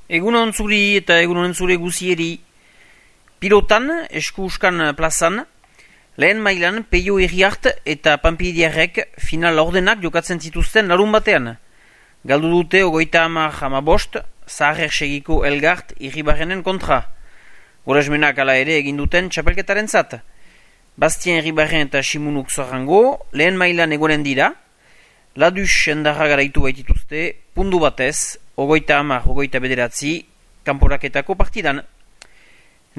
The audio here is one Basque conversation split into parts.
Egunon zuri eta egunon zure guzieri. Pilotan, esku uskan plazan, lehen mailan Peio Herriart eta Panpiliarrek final ordenak jokatzen zituzten larun batean. Galdu dute 30-15, Zaharrer segiko Elgart Irribarrenen kontra. Goresmenak ala ere egin duten txapelketaren zat. Bastien Irribarren eta Simunuk Zorrango lehen mailan egonen dira. Ladus endarra garaitu baitituzte, pundu batez, 30-29 kanporaketako partidan.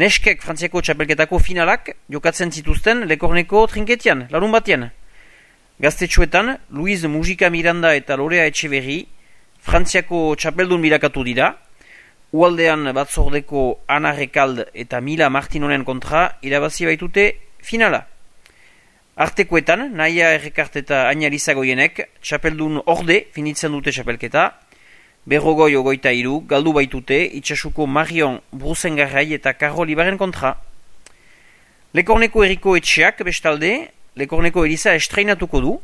Neskek Frantziako txapelketako finalak jokatzen zituzten Lekorneko trinketian, larun batean. Gaztetxoetan, Luiz Mujika Miranda eta Lorea Etxeberri Frantziako txapeldun birakatu dira, ualdean batzordeko Ana Rekald eta Mila Martinonen kontra irabazi baitute finala. Artekoetan, Naia Errekart eta Añaliza Goienek txapeldun orde finitzen dute txapelketa, Berrogoi 23 galdu baitute itxasuko Marion Brusengarrai eta Karol Ibaren kontra. Lekorneko Eriko Etxeak bestalde, Lekorneko Eliza estreinatuko du,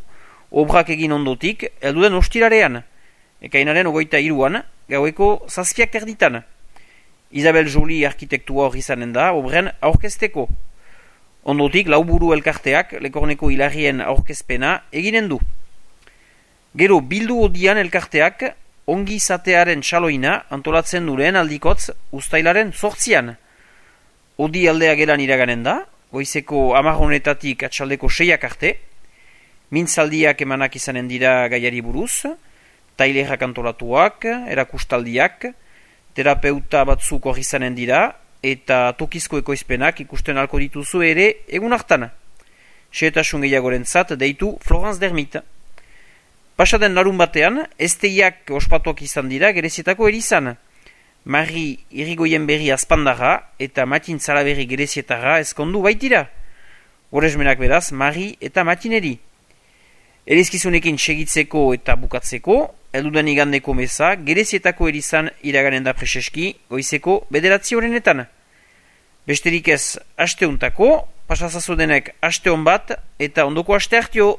obrak egin ondotik, elduden ostirarean, ekainaren 23an, gaueko 7 erditan. Isabel Joly arkitektua hori izanen da, obren aurkezteko. Ondotik, lauburu elkarteak Lekorneko hilarrien aurkezpena eginen du. Gero, bildu odian elkarteak, ongi izatearen txaloina antolatzen duren aldikotz ustailaren 8an. Odi aldea gelan iraganen da, goizeko 10 atxaldeko 6 arte, mintzaldiak emanak izanen dira gaiari buruz, tailerak antolatuak, erakustaldiak, terapeuta batzuk hori izanen dira, eta tokizko ekoizpenak ikusten alko dituzu ere egun hartan. Xehetasun gehiagorentzat deitu Florence Dermit. Pasaden larun batean, esteiak ospatuak izan dira gerezietako erizan. Mari Irigoyen berri azpandarra eta Matin Zalaberri gerezietara ezkondu baitira. Goresmenak beraz, Mari eta Matineri. Erizkizunekin segitzeko eta bukatzeko, elduden igandeko meza, gerezietako erizan iraganen da preseski, goizeko 9 horrenetan. Besterik ez, asteuntako, pasazazodenek aste hon bat, eta ondoko aste hartio.